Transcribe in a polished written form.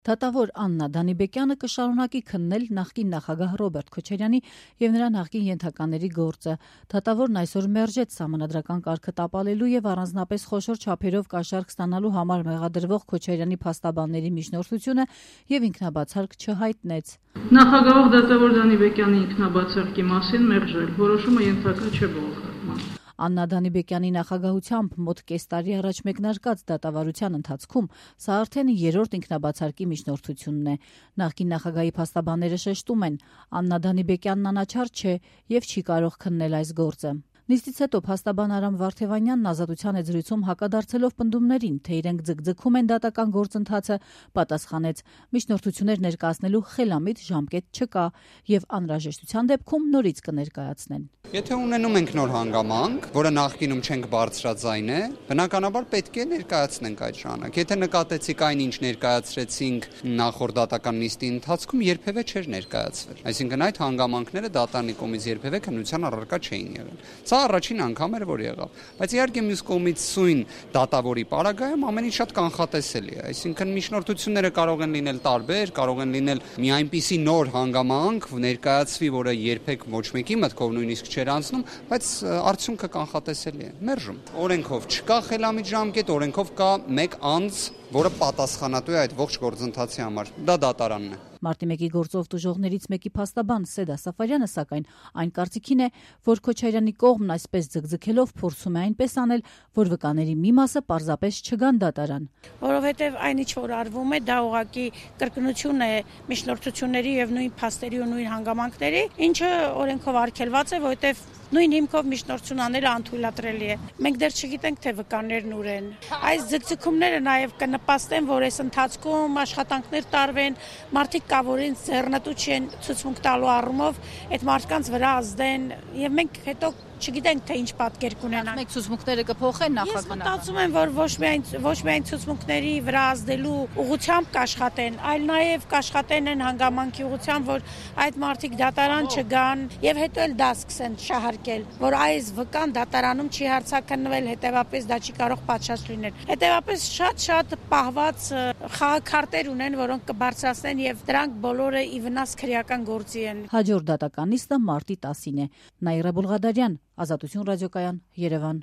Դատավոր Աննա Դանիբեկյանը կշարունակի քննել նախկին նախագահ Ռոբերտ Քոչարյանի եւ նրա նախկին ենթակաների գործը։ Դատավորն այսօր մերժեց սահմանադրական կարգը տապալելու եւ առանձնապես խոշոր չափերով կաշառք ստանալու համար մեղադրվող Քոչարյանի փաստաբանների միջնորդությունը եւ ինքնաբացարկ չհայտնեց։ Նախագահող դատավոր Դանիբեկյանի ինքնաբացարկի մասին մերժել որոշումը ենթակա չէ բողոքական։ Աննա Դանիբեկյանի նախագահությամբ մոտ կես տարի առաջ մեկնարկած դատավարության ընթացքում սա արդեն երրորդ ինքնաբացարկի միջնորդությունն է։ Նախկին նախագահի փաստաբանները շեշտում են, Աննա Դանիբեկյանն անաչառ չէ եւ չի կարող քննել այս գործը։ Նիստից հետո փաստաբան Արամ Վարդևանյանն ազատության է զրույցում հակադարձելով պնդումներին, թե իրենք ձգձգում են դատական գործընթացը, պատասխանեց. միջնորդություններ ներկայացնելու խելամիտ ժամկետ չկա եւ անհրաժեշտության դեպքում նորից կներկայացնեն։ Եթե ունենում ենք նոր հանգամանք, որը նախկինում չենք բարձրաձայնել, բնականաբար պետք է ներկայացնենք այդ ժամանակ։ Եթե նկատեցիք այն, ինչ ներկայացրեցինք նախորդ դատական նիստի ընթացքում, երբևէ չէր ներկայացվել։ Այսինքն այդ հանգամանքները դատարանի կողմից երբևէ քննության առարկա չէին եղել։ Սա առաջին անգամ էր, որ եղավ։ Բայց իհարկե մյուս կողմից սույն դատավորի պարագայում ամեն ինչ շատ կանխատեսելի է։ Այսինքն միջնորդությունները կարող են լինել տարբեր, կարող են լինել մի այնպիսի նոր հանգամանք ներկայացվի, որը երբեք ոչ մեկի մտքով նույնիսկ չէր անցնում, բայց արդյունքը կանխատեսելի է։ Մերժում։ Օրենքով չկա խելամիտ ժամկետ, օրենքով կա մեկ անձ, որը պատասխանատու է այդ ողջ գործընթացի համար։ Դա դատարանն է։ Մարտի 1-ի գործով տուժողներից մեկի փաստաբան Սեդա Սաֆարյանը սակայն այն կարծիքին է, որ Քոչարյանի կողմն այսպես ձգձգելով փորձում է այնպես անել, որ վկաների մի մասը պարզապես չգան դատարան։ Որովհետև այն ինչ որ արվում է, դա ուղղակի կրկնություն է միջնորդությունների եւ նույն փաստերի ու նույն հանգամանքների, ինչը օրենքով արգելված է, որովհետև նույն հիմքով միջնորդություն անելը անթույլատրելի է։ Մենք դեռ չգիտենք, թե վկաներն ուր են։ Այս ձգձգումները նաև կնպաստեն, որ այս ընթացքում աշխատանքներ տարվեն, մարդիկ կա, որին ձեռնտու չեն ցուցմունք տալու առումով, այդ մարդկանց վրա ազդեն, եւ մենք հետո չգիտենք, թե ինչ պատկեր կունենան։ Մեկ ցուցմունքները կփոխեն Ես մտածում եմ, որ ոչ միայն ցուցմունքների վրա ազդելու ուղղությամբ կաշխատեն, այլ նաև կաշխատեն են հանգամանքի ուղղությամբ, որ այդ մարդիկ դատարան չգան եւ հետո էլ դա սկսեն շահարկել, որ այս վկան դատարանում չի հարցաքննվել, հետեւապես դա չի կարող պատշաճ լինել։ Հետեւապես շատ պահված խաղաքարտեր ունեն, որոնք կբարձրացնեն եւ դրանք բոլորը ի վնաս քրեական գործի են։ Հաջորդ դատական նիստը մարտի 10-ին է։ Նաիրա Բուլղադարյան, Ազատություն ռադիոկայան, Երևան։